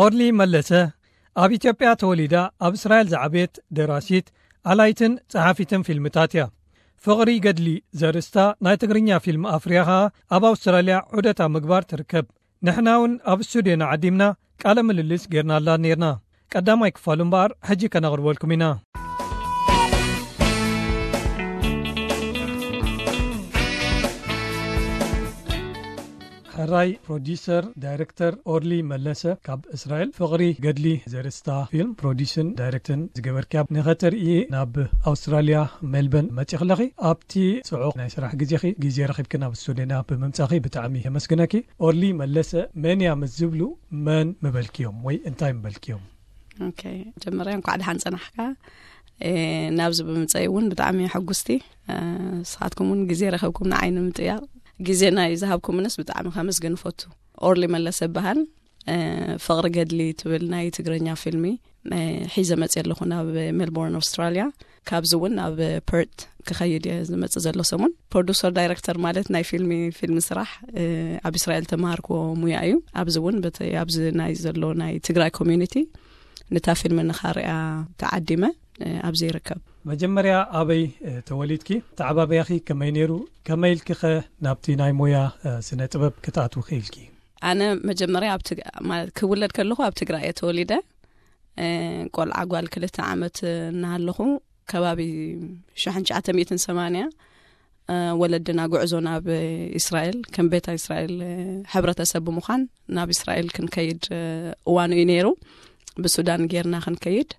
ኦርሊ መለሰ ኣብ ኢትዮጵያ ተወሊዳ ኣብ እስራኤል ዝዓበየት ደራሲት፣ ኣላይትን ጸሓፊትን ፊልምታት እያ። ፍቕሪ ገድሊ ዘርእስታ ናይ ትግርኛ ፊልም ኣፍርያ ኸኣ ኣብ ኣውስትራልያ ዑደት ኣብ ምግባር ትርከብ። ንሕና እውን ኣብ ስቱድዮና ዓዲምና ቃለ ምልልስ ጌርናላ ነይርና። ቀዳማይ ክፋሉ እምበኣር ሕጂ ከነቕርበልኩም ኢና። ሕራይ ፕሮዲሰር ዳይረክተር ኦርሊ መለሰ ካብ እስራኤል፣ ፍቕሪ ገድሊ ዘርእስታ ፊልም ፕሮዲስን ዳይረክትን ዝገበርክያ ንኸተርኢ ናብ ኣውስትራልያ ሜልበርን መጺኽለኺ። ኣብቲ ጽዑቕ ናይ ስራሕ ግዜኺ ግዜ ረኺብክን ኣብ ስቱድዮና ብምምጻኺ ብጣዕሚ የመስግነኪ። ኦርሊ መለሰ መን እያ ምስ ዝብሉ መን ምበልክዮም ወይ እንታይ ምበልክዮም? ኦኬ፣ መጀመርያ እንኳዕ ደሓን ጸናሕካ። እ፣ ናብዚ ብምጸይ እውን ብጣዕሚ ሕጉስቲ። እ፣ ንስኻትኩም እውን ግዜ ረኸብኩም ንዓይ ንምጥያቕ ግዜ ናይ ዝሃብኩምንስ ብጣዕሚ ከመስግን እፈቱ። ኦርሊ መለሰ ይበሃል። እ፣ ፍቕሪ ገድሊ ትብል ናይ ትግርኛ ፊልሚ፣ እ፣ ሒዘ መጽየ ኣለኹ ናብ ሜልቦርን ኣውስትራልያ። ካብዚ እውን ናብ ፐርት ክኸይድ እየ ዝመጽእ ዘሎ ሰሙን። ፕሮዱሰር ዳይረክተር ማለት ናይ ፊልሚ፣ ፊልሚ ስራሕ፣ እ፣ ኣብ እስራኤል ተማሃርክዎ ሙያ እዩ። ኣብዚ እውን በቲ ኣብዚ ናይ ዘሎ ናይ ትግራይ ኮሚዩኒቲ ነታ ፊልም ንኻርያ ተዓዲመ፣ እ፣ ኣብዚ ይርከብ። መጀመርያ ኣበይ፣ እ፣ ተወሊድኪ? ተዓባብያኺ ከመይ ነይሩ? ከመይ ኢልኪኸ ናብቲ ናይ ሞያ፣ እ፣ ስነ ጥበብ ክትኣትዊ ክኢልኪ? ኣነ መጀመርያ ኣብ ትግ-፣ ማለት ክውለድ ከለኹ ኣብ ትግራይ እየ ተወሊደ። እ፣ ቆልዓ ጓል ክልተ ዓመት እናሃለኹ ከባቢ ሽሕን ትሽዓተ ሚእትን ሰማንያ፣ እ፣ ወለድና ጉዕዞ ናብ እስራኤል ከም ቤታ እስራኤል፣ እ፣ ሕብረተሰብ ብምዃን ናብ እስራኤል ክንከይድ፣ እ፣ እዋኑ እዩ ነይሩ። ብሱዳን ጌርና ክንከይድ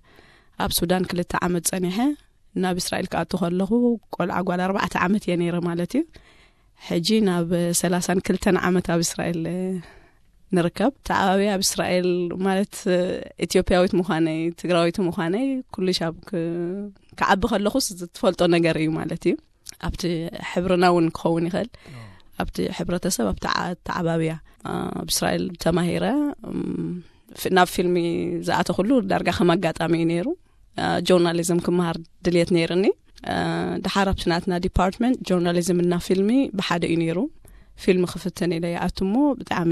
ኣብ ሱዳን ክልተ ዓመት ጸኒሐ። ናብ እስራኤል ክኣቱ ከለኹ ቆልዓ ጓል ኣርባዕተ ዓመት እየ ነይረ ማለት እዩ። ሕጂ ናብ ሰላሳን ክልተን ዓመት ኣብ እስራኤል፣ እ፣ ንርከብ። ተዓባቢ ኣብ እስራኤል ማለት፣ እ፣ ኢትዮጵያዊት ምዃነይ፣ ትግራዊት ምዃነይ ኩሉ ሻብ ክ-፣ ክዓቢ ከለኹስ ዝትፈልጦ ነገር እዩ ማለት እዩ። ኣብቲ ሕብርና እውን ክኸውን ይኽእል። ኣብቲ ሕብረተሰብ፣ ኣብቲ ዓ-፣ ተዓባብያ፣ እ፣ ኣብ እስራኤል ተማሂረ፣ እም፣ ፍ-፣ ናብ ፊልሚ ዝኣተኹሉ ዳርጋ ከም ኣጋጣሚ እዩ ነይሩ። እ፣ ጆርናሊዝም ክመሃር ድልየት ነይርኒ። እ፣ ድሓር ኣብቲ ናትና ዲፓርትመንት ጆርናሊዝም እና ፊልሚ ብሓደ እዩ ነይሩ። ፊልም ክፍትን ኢለ ይኣቱ እሞ ብጣዕሚ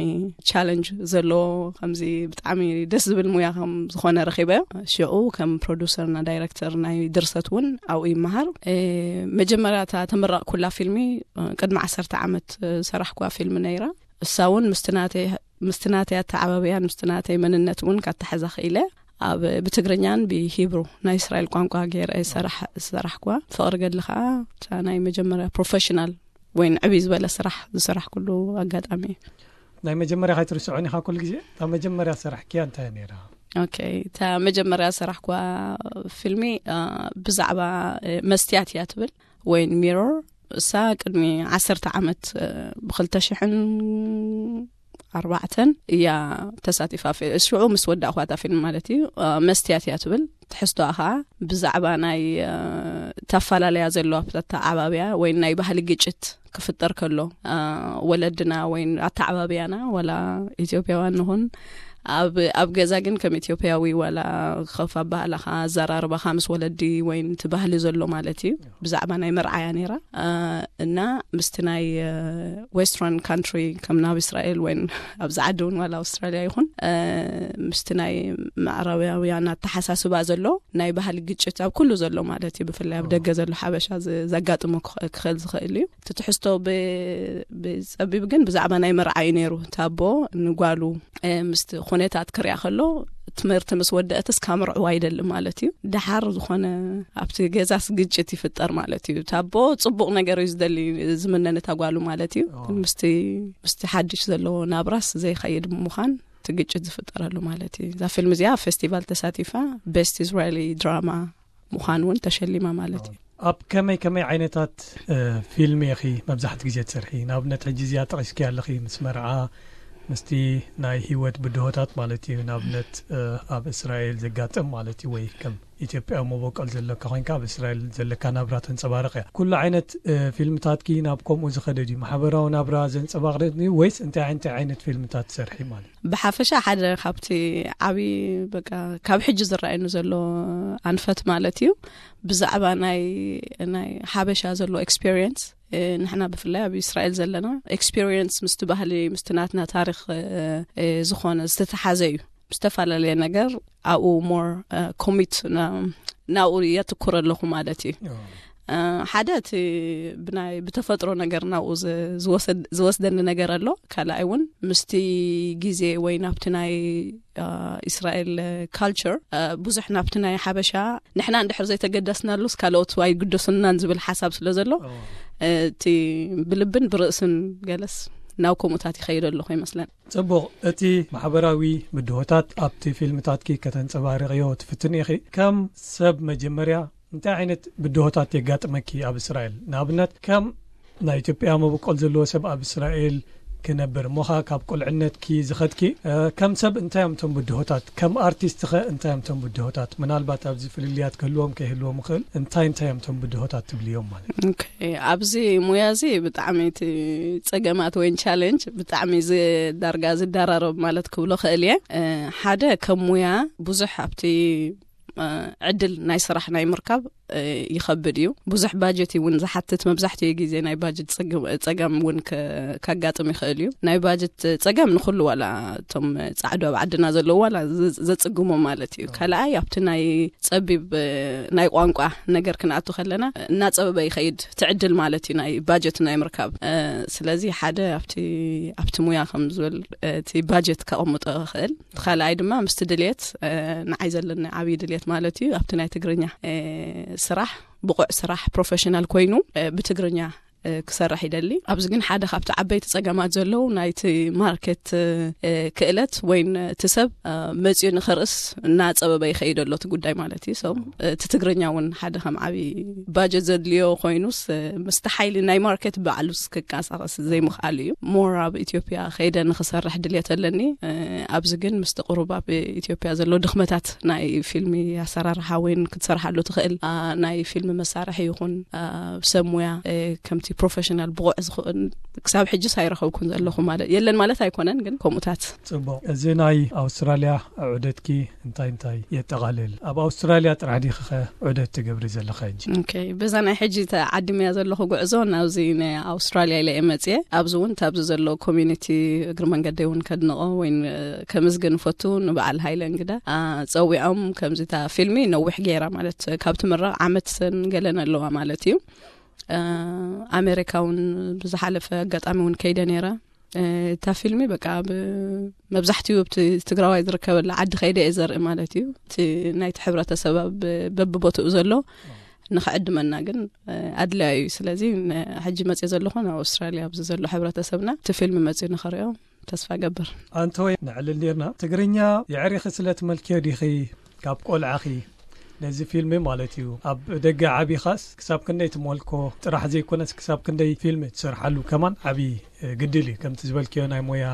ቻለንጅ ዘለዎ፣ ከምዚ ብጣዕሚ ደስ ዝብል ሙያ ከም ዝኾነ ረኺበዮ። ሽዑ ከም ፕሮዱሰር እና ዳይረክተር ናይ ድርሰት እውን ኣብኡ ይመሃር። እ፣ መጀመርያ እታ ተመረቕኩላ ፊልሚ፣ እ፣ ቅድሚ ዓሰርተ ዓመት፣ እ፣ ሰራሕኩዋ ፊልም ነይራ። እሳ እውን ምስቲ ናተይ፣ ምስቲ ናተይ ኣተዓባብያን ምስቲ ናተይ መንነት እውን ካተሓዛ ክኢለ። ኣብ ብትግርኛን ብሂብሩ ናይ እስራኤል ቋንቋ ገይረ ሰራሕ-፣ ዝሰራሕኩዋ። ፍቕሪ ገድሊ ከዓ እታ ናይ መጀመርያ ፕሮፌሽናል ወይ ንዕብይ ዝበለ ስራሕ ዝሰራሕኩሉ ኣጋጣሚ እዩ። ናይ መጀመርያ ከይትርስዖን ኢኻ ኩሉ ግዜ? እታ መጀመርያ ስራሕክያ እንታይ ነይራ? ኦኬ፣ እታ መጀመርያ ሰራሕኩዋ ፊልሚ፣ እ፣ ብዛዕባ፣ እ፣ መስትያት እያ ትብል፣ ወይን ሚሮር። እሳ ቅድሚ ዓሰርተ ዓመት፣ እ፣ ብኽልተ ሽሕን ኣርባዕተን እያ ተሳቲፋ። ፊ-፣ ሽዑ ምስ ወዳእኳ እታ ፊልም ማለት እዩ። እ፣ መስትያት እያ ትብል። ትሕዝቶኣ ኸዓ ብዛዕባ ናይ፣ እ፣ ተፈላለያ ዘሎ ኣብታ ኣተዓባብያ ወይ ናይ ባህሊ ግጭት ክፍጠር ከሎ፣ እ፣ ወለድና ወይ ኣተዓባብያና፣ ወላ ኢትዮጵያውያን ንኹን፣ ኣብ፣ ኣብ ገዛ ግን ከም ኢትዮጵያዊ ዋላ ከፍ ኣባህላኻ፣ ኣዘራርባኻ ምስ ወለዲ ወይ እቲ ባህሊ ዘሎ ማለት እዩ። ብዛዕባ ናይ መርዓያ ነይራ። እ፣ እና ምስቲ ናይ፣ እ፣ ዌስተርን ካንትሪ ከም ናብ እስራኤል ወይ ኣብዚ ዓዲ እውን ዋላ ኣውስትራልያ ይኹን፣ እ፣ ምስቲ ናይ ምዕራባውያን ኣተሓሳስባ ዘሎ ናይ ባህሊ ግጭት ኣብ ኩሉ ዘሎ ማለት እዩ። ብፍላይ ኣብ ደገ ዘሎ ሓበሻ ዝ-፣ ዘጋጥሞ ክኸ-፣ ክኽእል ዝኽእል እዩ። እቲ ትሕዝቶ ብ-፣ ብጸቢብ ግን ብዛዕባ ናይ መርዓ እዩ ነይሩ። እቲ ኣቦ ንጓሉ፣ እ፣ ምስቲ ኩነታት ክሪኣ ከሎ ትምህርቲ ምስ ወደአትስ ካምርዕዋ ይደሊ ማለት እዩ። ደሓር ዝኾነ ኣብቲ ገዛስ ግጭት ይፍጠር ማለት እዩ። እቲ ኣቦ ጽቡቕ ነገር እዩ ዝደሊ፣ ዝምነን እታ ጓሉ ማለት እዩ። ኦ። ግን ምስቲ፣ ምስቲ ሓድሽ ዘለዎ ናብራስ ዘይኸይድ ምዃን እቲ ግጭት ዝፍጠረሉ ማለት እዩ። እዛ ፊልም እዚኣ ኣብ ፌስቲቫል ተሳቲፋ ቤስት እስራኤሊ ድራማ ምዃን እውን ተሸሊማ ማለት እዩ። ኣብ ከመይ ከመይ ዓይነታት፣ እ፣ ፊልም ኢኺ መብዛሕቲ ግዜ ትሰርሒ? ንኣብነት ሕጂ እዚኣ ጠቒስኪ ኣለኺ፣ ምስ መርዓ፣ ምስቲ ናይ ህይወት ብድሆታት ማለት እዩ። ንኣብነት፣ እ፣ ኣብ እስራኤል ዘጋጥም ማለት እዩ፣ ወይ ከም ኢትዮጵያዊ መበቆል ዘለካ ኮይንካ ኣብ እስራኤል ዘለካ ናብራ ተንጸባርቕ እያ። ኩሉ ዓይነት፣ እ፣ ፊልምታትኪ ናብ ከምኡ ዝኸደ ድዩ? ማሕበራዊ ናብራ ዘንጸባርቕ ድዩ ወይስ እንታይ እንታይ ዓይነት ፊልምታት ትሰርሒ ማለት? ብሓፈሻ ሓደ ካብቲ ዓቢ፣ በቃ፣ ካብ ሕጂ ዝረኣየኒ ዘሎ ኣንፈት ማለት እዩ፣ ብዛዕባ ናይ፣ ናይ ሓበሻ ዘሎ ኤክስፔሪየንስ። እ፣ ንሕና ብፍላይ ኣብ እስራኤል ዘለና ኤክስፔሪየንስ ምስቲ ባህሊ፣ ምስቲ ናትና ታሪኽ፣ እ፣ እ፣ ዝኾነ ዝተተሓዘ እዩ። ዝተፈላለየ ነገር ኣብኡ ሞር ኮሚት ናብኡ የትኩር ኣለኹ ማለት እዩ። ሓደ እቲ ብናይ ብተፈጥሮ ነገር ናብኡ ዝወስደኒ ነገር ኣሎ። ካልኣይ እውን ምስቲ ግዜ ወይ ናብቲ ናይ እስራኤል ካልቸር ብዙሕ ናብቲ ናይ ሓበሻ ንሕና እንድሕር ዘይተገደስናሉስ ካልኦት ኣይግደሱናን ዝብል ሓሳብ ስለ ዘሎ እቲ ብልብን ብርእስን ገለስ ናብ ከምኡታት ይኸይድ ኣለኹ ይመስለን። ጽቡቕ። እቲ ማሕበራዊ ብድሆታት ኣብቲ ፊልምታትኪ ከተንጸባርቕዮ ትፍትን ኢኺ። ከም ሰብ መጀመርያ እንታይ ዓይነት ብድሆታት የጋጥመኪ ኣብ እስራኤል? ንኣብነት ከም ናይ ኢትዮጵያ መበቆል ዘለዎ ሰብ ኣብ እስራኤል ክነብር እሞኻ ካብ ቁልዕነትኪ ዝኸድኪ ከም ሰብ እንታይ እዮም ቶም ብድሆታት? ከም ኣርቲስት ኸ እንታይ እዮም ቶም ብድሆታት? ምናልባት ኣብዚ ፍልልያት ክህልዎም ከይህልዎም ይኽእል። እንታይ እንታይ እዮም ቶም ብድሆታት ትብልዮም ማለት? ኣብዚ ሙያ እዚ ብጣዕሚ እቲ ጸገማት ወይ ቻሌንጅ ብጣዕሚ ዳርጋ ዝዳራረብ ማለት ክብሎ ክእል እየ። ሓደ ከም ሙያ ብዙሕ ኣብቲ ዕድል ናይ ስራሕ ናይ ምርካብ ይኸብድ እዩ። ብዙሕ ባጀት እውን ዝሓትት፣ መብዛሕትኡ ግዜ ናይ ባጀት ጸገም እውን ካጋጥም ይኽእል እዩ። ናይ ባጀት ጸገም ንኹሉ ዋላ እቶም ጻዕዱ ኣብ ዓድና ዘለዉ ዋላ ዘጽግሞ ማለት እዩ። ካልኣይ ኣብቲ ናይ ጸቢብ ናይ ቋንቋ ነገር ክንኣቱ ከለና እናጸበበ ይኸይድ ትዕድል ማለት እዩ ናይ ባጀት ናይ ምርካብ። ስለዚ ሓደ ኣብቲ ኣብቲ ሙያ ከም ዝበል እቲ ባጀት ከቐምጦ ይኽእል። ካልኣይ ድማ ምስቲ ድልየት ንዓይ ዘለኒ ዓብዪ ድልየት ማለት እዩ ኣብቲ ናይ ትግርኛ ስራሕ ብቑዕ ስራሕ ፕሮፌሽናል ኮይኑ ብትግርኛ ክሰርሕ ይደሊ። ኣብዚ ግን ሓደ ካብቲ ዓበይቲ ጸገማት ዘለዉ ናይቲ ማርኬት ክእለት ወይ እቲ ሰብ መጺኡ ንኸርእስ እናጸበበ ይኸይድ ኣሎ እቲ ጉዳይ ማለት እዩ። So እቲ ትግርኛ እውን ሓደ ከም ዓብዪ ባጀት ዘድልዮ ኮይኑስ ምስቲ ሓይሊ ናይ ማርኬት ባዕሉስ ክቀሳቐስ ዘይምኽኣሉ እዩ። ሞር ኣብ ኢትዮጵያ ከይደ ንኽሰርሕ ድልየት ኣለኒ። ኣብዚ ግን ምስቲ ቁሩብ ኣብ ኢትዮጵያ ዘሎ ድኽመታት ናይ ፊልሚ ኣሰራርሓ ወይ ክትሰርሓሉ ትኽእል ናይ ፊልሚ መሳርሒ ይኹን ሰብ ሙያ ከምቲ ፕሮፌሽናል ብቑዕ ዝኽእል ክሳብ ሕጅስ ኣይረኸብኩን ዘለኹ ማለት የለን ማለት ኣይኮነን፣ ግን ከምኡታት። ጽቡቕ። እዚ ናይ ኣውስትራልያ ዑደትኪ እንታይ እንታይ የጠቓልል? ኣብ ኣውስትራልያ ጥራሕ ዲኺ ዑደት ትገብሪ ዘለኺ ሕጂ? ኦኬ፣ በዛ ናይ ሕጂ ተዓዲመያ ዘለኹ ጉዕዞ ናብዚ ናይ ኣውስትራልያ ኢለ እየ መጽየ። ኣብዚ እውን ታብዚ ዘሎ ኮሚኒቲ እግሪ መንገደይ እውን ከድንቖ ወይ ከምዝግን ፈቱ ንበዓል ሃይለ እንግዳ ጸዊዖም ከምዚ እታ ፊልሚ ነዊሕ ገይራ ማለት ካብ ትምረቕ ዓመት ሰን ገለን ኣለዋ ማለት እዩ። ኣሜሪካ እውን ብዝሓለፈ ኣጋጣሚ እውን ከይደ ነይረ። እታ ፊልሚ በቃ መብዛሕትኡ ኣብቲ ትግራዋይ ዝርከበላ ዓዲ ከይደ እየ ዘርኢ ማለት እዩ። እቲ ናይቲ ሕብረተሰብ በብቦትኡ ዘሎ ንኽዕድመና ግን ኣድላዩ እዩ። ስለዚ ሕጂ መፅእ ዘለኹ ናብ ኣውስትራልያ ኣብዚ ዘሎ ሕብረተሰብና እቲ ፊልሚ መፅኡ ንኽሪኦ ተስፋ ገብር። ኣንተወይ ንዕልል ኔርና ትግርኛ የዕሪኺ ስለ ትመልክዮ ዲኺ ካብ ቆልዓኺ ነዚ ፊልሚ ማለት እዩ ኣብ ደገ ዓቢኻስ ክሳብ ክንደይ ትመልኮ ጥራሕ ዘይኮነስ ክሳብ ክንደይ ፊልሚ ትሰርሓሉ ከማን ዓብዪ ግድል እዩ። ከምቲ ዝበልክዮ ናይ ሞያ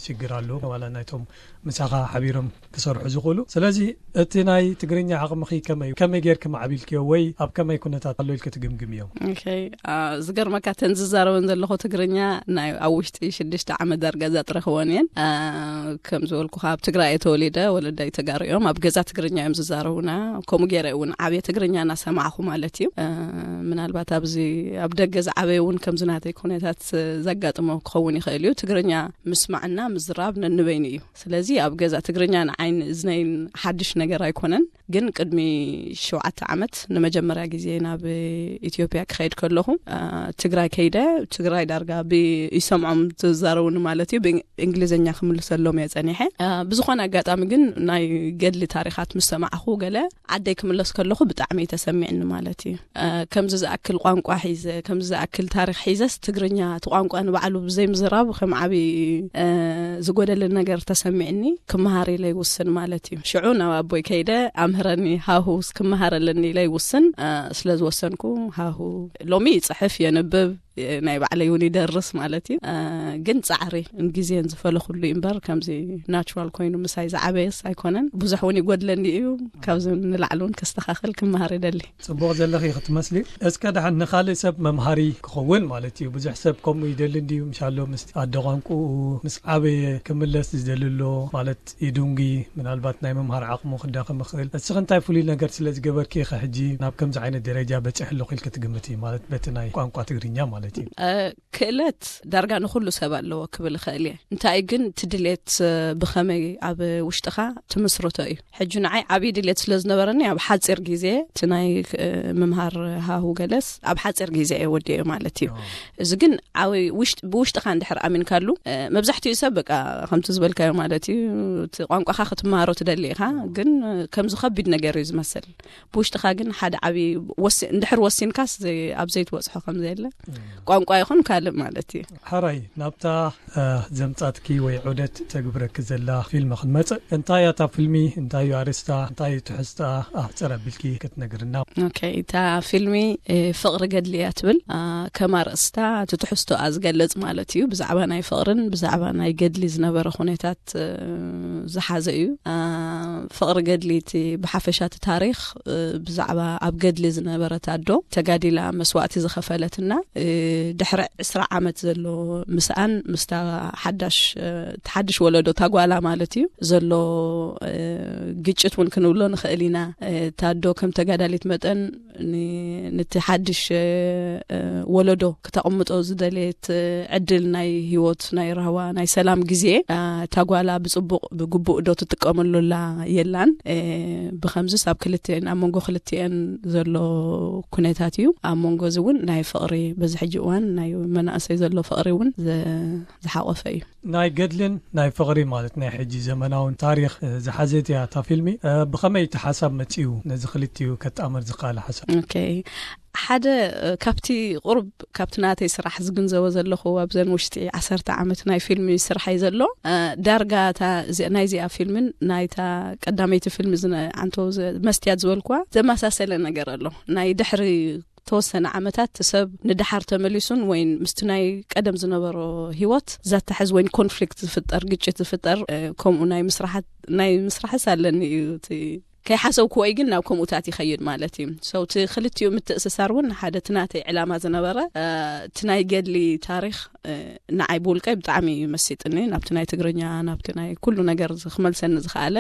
ሽግር ኣሎ ዋላ ናይቶም ምሳኻ ሓቢሮም ክሰርሑ ዝኽእሉ። ስለዚ እቲ ናይ ትግርኛ ዓቕምኺ ከመይ ከመይ ጌርኪ ማዕቢልክዮ ወይ ኣብ ከመይ ኩነታት ኣሎ ኢልኪ ትግምግምዮ? ዝገርመካ ተን ዝዛረበን ዘለኹ ትግርኛ ናይ ኣብ ውሽጢ ሽዱሽተ ዓመት ዳርጋ ዘጥረኽወን እየን። ከም ዝበልኩኻ ኣብ ትግራይ እየ ተወሊደ፣ ወለዳይ ተጋሩ እዮም። ኣብ ገዛ ትግርኛ እዮም ዝዛረቡና። ከምኡ ገይረ እውን ዓብየ ትግርኛ እናሰማዕኹ ማለት እዩ። ምናልባት ኣብዚ ኣብ ደገ ዝዓበየ እውን ከምዚ ናተይ ኩነታት ዘጋጥሞ ክኸውን ይኽእል እዩ። ትግርኛ ምስማዕና ምዝራብ ነንበይኑ እዩ። ስለዚ ኣብ ገዛ ትግርኛ ንዓይን እዝነይን ሓድሽ ነገር ኣይኮነን። ግን ቅድሚ ሸውዓተ ዓመት ንመጀመርያ ግዜ ናብ ኢትዮጵያ ክኸይድ ከለኹ ትግራይ ከይደ ትግራይ ዳርጋ ይሰምዖም ዝዛረቡኒ ማለት እዩ። ብእንግሊዝኛ ክምልሰሎም እየ ጸኒሐ። ብዝኾነ ኣጋጣሚ ግን ናይ ገድሊ ታሪኻት ምስ ሰማዕኹ ገለ ዓደይ ክምለስ ከለኹ ብጣዕሚ እዩ ተሰሚዕኒ ማለት እዩ። ከምዚ ዝኣክል ቋንቋ ሒዘ ከምዚ ዝኣክል ታሪኽ ሒዘስ ትግርኛ እቲ ቋንቋ ንባዕሉ ብዘይምዝራብ ከም ዓብዪ ዝጎደለ ነገር ተሰሚዕኒ። ክመሃር ኢለ ይውስን ማለት እዩ። ሽዑ ናብ ኣቦይ ከይደ ኣምህረኒ ሃሁ ክመሃር ኣለኒ ኢለ ይውስን። ስለ ዝወሰንኩ ሃሁ ሎሚ ይፅሕፍ የንብብ ናይ ባዕለይ እውን ይደርስ ማለት እዩ። ግን ፃዕሪ ግዜን ዝፈለኹሉ እምበር ከምዚ ናቹራል ኮይኑ ምሳይ ዝዓበየስ ኣይኮነን። ብዙሕ እውን ይጎድለኒ እዩ። ካብዚ ንላዕሊ እውን ከስተኻኽል ክመሃር ይደሊ። ጽቡቕ ዘለኺ ክትመስሊ። እስከ ደሓን ንኻልእ ሰብ መምሃሪ ክኸውን ማለት እዩ። ብዙሕ ሰብ ከምኡ ይደሊ እንድዩ። ምሻሎ ምስ ኣደ ቋንቁኡ ምስ ዓበየ ክምለስ ዝደሊ ኣሎ ማለት ይድንጉ። ምናልባት ናይ ምምሃር ዓቕሙ ክዳኸም ይኽእል። እስኺ እንታይ ፍሉይ ነገር ስለ ዝገበርኪ ኢኺ ሕጂ ናብ ከምዚ ዓይነት ደረጃ በጺሐ ኣለኹ ኢልኪ ትግምቲ? ማለት በቲ ናይ ቋንቋ ትግርኛ ማለት ክእለት ዳርጋ ንኹሉ ሰብ ኣለዎ ክብል እኽእል እየ። እንታይ ግን እቲ ድሌት ብኸመይ ኣብ ውሽጥኻ ትምስርቶ እዩ። ሕጂ ንዓይ ዓብዪ ድሌት ስለ ዝነበረኒ ኣብ ሓፂር ግዜ እቲ ናይ ምምሃር ሃሁ ገለስ ኣብ ሓፂር ግዜ እየ ወዲኦ ማለት እዩ። እዚ ግን ብውሽጥኻ እንድሕር ኣሚንካሉ፣ መብዛሕትኡ ሰብ በቃ ከምቲ ዝበልካዮ ማለት እዩ፣ እቲ ቋንቋኻ ክትመሃሮ ትደሊ ኢኻ፣ ግን ከምዚ ከቢድ ነገር እዩ ዝመስል። ብውሽጥኻ ግን ሓደ ዓብዪ እንድሕር ወሲንካስ ኣብ ዘይትበፅሖ ከም ዘየለ ቋንቋ ይኹን ካልእ ማለት እዩ። ሓራይ ናብታ ዘምጻትኪ ወይ ዑደት ተግብረኪ ዘላ ፊልም ክንመጽእ፣ እንታይ እያ እታ ፊልሚ? እንታይ እዩ ኣርእስታ? እንታይ እዩ ትሕዝታ? ኣሕጽር ኣቢልኪ ክትነግርና። ኦኬ፣ እታ ፊልሚ ፍቕሪ ገድሊ እያ ትብል። ከም ኣርእስታ እቲ ትሕዝቶኣ ዝገልጽ ማለት እዩ። ብዛዕባ ናይ ፍቕርን ብዛዕባ ናይ ገድሊ ዝነበረ ኩነታት ዝሓዘ እዩ። ፍቕሪ ገድሊ እቲ ብሓፈሻ እቲ ታሪኽ ብዛዕባ ኣብ ገድሊ ዝነበረት ኣዶ ተጋዲላ መስዋእቲ ዝኸፈለትና፣ ድሕሪ ዕስራ ዓመት ዘሎ ምስኣን ምስታ ሓዳሽ ሓድሽ ወለዶ ታጓላ ማለት እዩ ዘሎ ግጭት እውን ክንብሎ ንኽእል ኢና። ታዶ ከም ተጋዳሊት መጠን ነቲ ሓድሽ ወለዶ ክተቕምጦ ዝደለየት ዕድል ናይ ህይወት ናይ ራህዋ ናይ ሰላም ግዜ ታጓላ ብፅቡቕ ብግቡእ ዶ ትጥቀመሉላ የላን። ብኸምዚስ ኣብ ክልቲአን ኣብ መንጎ ክልቲአን ዘሎ ኩነታት እዩ። ኣብ መንጎ እዚ እውን ናይ ፍቕሪ በዚ ሕጂ እዋን ናይ መናእሰይ ዘሎ ፍቕሪ እውን ዝሓቆፈ እዩ። ናይ ገድልን ናይ ፍቕሪ ማለት ናይ ሕጂ ዘመናውን ታሪኽ ዝሓዘት እያ እታ ፊልሚ። ብኸመይ እቲ ሓሳብ መፂኡ ነዚ ክልቲኡ ከጣመር ዝኸኣለ ሓሳብ? ኦኬ፣ ሓደ ካብቲ ቁርብ ካብቲ ናተይ ስራሕ ዝግንዘቦ ዘለኹ ኣብዘን ውሽጢ ዓሰርተ ዓመት ናይ ፊልሚ ስራሐይ ዘሎ ዳርጋ ናይዚኣ ፊልምን ናይታ ቀዳመይቲ ፊልሚ ዓንቶ መስትያት ዝበልኩዋ ዘመሳሰለ ነገር ኣሎ። ናይ ድሕሪ ተወሰነ ዓመታት ሰብ ንድሓር ተመሊሱን ወይን ምስቲ ናይ ቀደም ዝነበሮ ህይወት ዘተሐዝ ወይን ኮንፍሊክት ዝፍጠር ግጭት ዝፍጠር ከምኡ ናይ ምስራሓት ናይ ምስራሕስ ኣለኒ እዩ። ከይሓሰብክዎ እዩ ግን ናብ ከምኡታት ይኸይድ ማለት እዩ። ሰው እቲ ክልቲኡ ምትእስሳር እውን ሓደ እቲ ናተይ ዕላማ ዝነበረ እቲ ናይ ገድሊ ታሪኽ ንዓይ ብውልቀይ ብጣዕሚ እዩ መሲጥኒ። ናብቲ ናይ ትግርኛ ናብቲ ናይ ኩሉ ነገር ክመልሰኒ ዝኸኣለ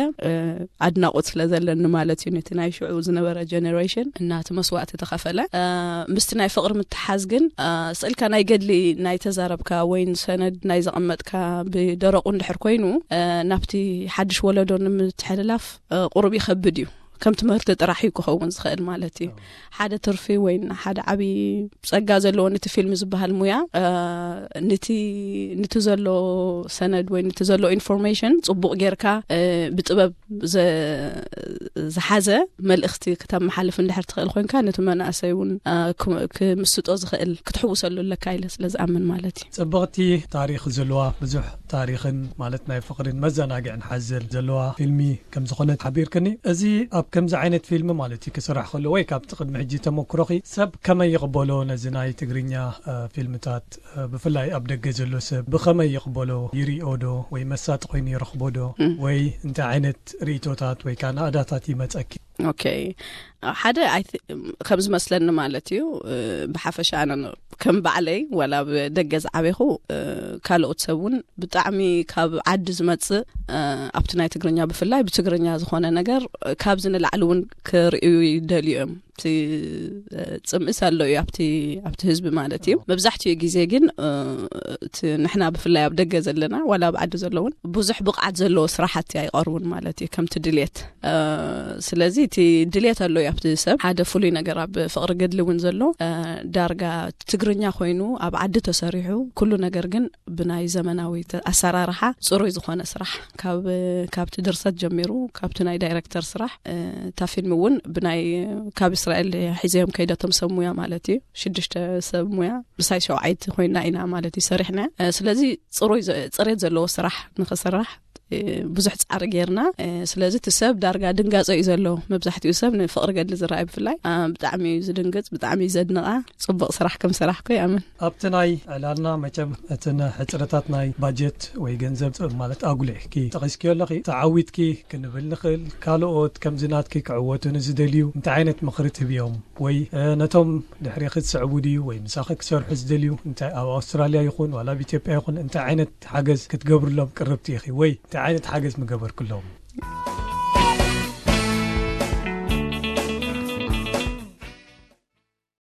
ኣድናቆት ስለ ዘለኒ ማለት እዩ። ነቲ ናይ ሽዑ ዝነበረ ጀነሬሽን እናቲ መስዋእቲ ተኸፈለ ምስቲ ናይ ፍቕሪ ምትሓዝ ግን ስእልካ ናይ ገድሊ ናይ ተዛረብካ ወይ ሰነድ ናይ ዘቐመጥካ ብደረቁ እንድሕር ኮይኑ ናብቲ ሓድሽ ወለዶ ንምትሕልላፍ ቁሩብ ይኸብድ እዩ። ከም ትምህርቲ ጥራሕ እዩ ክኸውን ዝኽእል ማለት እዩ። ሓደ ትርፊ ወይ ሓደ ዓብዪ ጸጋ ዘለዎ ነቲ ፊልም ዝበሃል ሙያ ነቲ ነቲ ዘሎ ሰነድ ወይ ነቲ ዘሎ ኢንፎርሜሽን ጽቡቕ ጌርካ ብጥበብ ዝሓዘ መልእኽቲ ክተመሓልፍ እንድሕር ትኽእል ኮይንካ ነቲ መናእሰይ እውን ክምስጦ ዝኽእል ክትሕውሰሉ ኣለካ ኢለ ስለ ዝኣምን ማለት እዩ። ጽብቕቲ ታሪኽ ዘለዋ ብዙሕ ታሪኽን ማለት ናይ ፍቕርን መዘናግዕን ሓዘል ዘለዋ ፊልሚ ከም ዝኾነት ሓቢርክኒ። እዚ ኣብ ከምዚ ዓይነት ፊልሚ ማለት እዩ ክስራሕ ከሎ ወይ ካብቲ ቅድሚ ሕጂ ተመክሮኺ ሰብ ከመይ ይቕበሎ ነዚ ናይ ትግርኛ ፊልምታት ብፍላይ ኣብ ደገ ዘሎ ሰብ ብኸመይ ይቕበሎ? ይሪኦ ዶ ወይ መሳጢ ኮይኑ ይረኽቦ ዶ? ወይ እንታይ ዓይነት ርእይቶታት ወይ ከዓ ናእዳታት ይመፀኪ? ኦኬ፣ ሓደ ከም ዝመስለኒ ማለት እዩ። ብሓፈሻ ኣነ ከም ባዕለይ ዋላ ኣብ ደገ ዝዓበኹ ካልኦት ሰብ እውን ብጣዕሚ ካብ ዓዲ ዝመፅእ ኣብቲ ናይ ትግርኛ ብፍላይ ብትግርኛ ዝኾነ ነገር ካብዚ ንላዕሊ እውን ክርእዩ ይደልዩ እዮም። እቲ ፅምእስ ኣሎ እዩ ኣብቲ ኣብቲ ህዝቢ ማለት እዩ። መብዛሕትኡ ግዜ ግን እቲ ንሕና ብፍላይ ኣብ ደገ ዘለና ዋላ ኣብ ዓዲ ዘለውን ብዙሕ ብቕዓት ዘለዎ ስራሕቲ ኣይቐርቡን ማለት እዩ ከምቲ ድልየት። ስለዚ እቲ ድልየት ኣሎ እዩ ኣብቲ ሰብ ሓደ ፍሉይ ነገር ኣብ ፍቕሪ ገድሊ እውን ዘሎ ዳርጋ ትግርኛ ኮይኑ ኣብ ዓዲ ተሰሪሑ ኩሉ ነገር ግን ብናይ ዘመናዊ ኣሰራርሓ ፅሩይ ዝኾነ ስራሕ ካብ ካብቲ ድርሰት ጀሚሩ ካብቲ ናይ ዳይረክተር ስራሕ እታ ፊልም እውን ብናይ ካብ እስራኤል ሒዘዮም ከይደቶም ሰብ ሙያ ማለት እዩ ሽዱሽተ ሰብ ሙያ ምሳይ ሸውዓይቲ ኮይና ኢና ማለት እዩ ሰሪሕና። ስለዚ ፅሩይ ጽሬት ዘለዎ ስራሕ ንክስራሕ ብዙሕ ፃዕሪ ጌርና። ስለዚ እቲ ሰብ ዳርጋ ድንጋፀ እዩ ዘሎ። መብዛሕትኡ ሰብ ንፍቕሪ ገድሊ ዝረኣይ ብፍላይ ብጣዕሚ እዩ ዝድንግፅ፣ ብጣዕሚ እዩ ዘድንቓ። ፅቡቕ ስራሕ ከም ሰራሕኩ ይኣምን። ኣብቲ ናይ ዕላልና መቸም እትን ሕፅረታት ናይ ባጀት ወይ ገንዘብ ማለት ኣጉሊሕኪ ጠቒስኪዮ ኣለኺ። ተዓዊትኪ ክንብል ንኽእል። ካልኦት ከምዚ ናትኪ ክዕወቱ ንዝደልዩ እንታይ ዓይነት ምኽሪ ትህብዮም? ወይ ነቶም ድሕሪኺ ዝስዕቡ ድዩ ወይ ምሳኺ ክሰርሑ ዝደልዩ እንታይ ኣብ ኣውስትራልያ ይኹን ዋላ ኣብ ኢትዮጵያ ይኹን እንታይ ዓይነት ሓገዝ ክትገብርሎም ቅርብቲ ኢኺ ወይ እንታይ ዓይነት ሓገዝ ምገበርክሎም?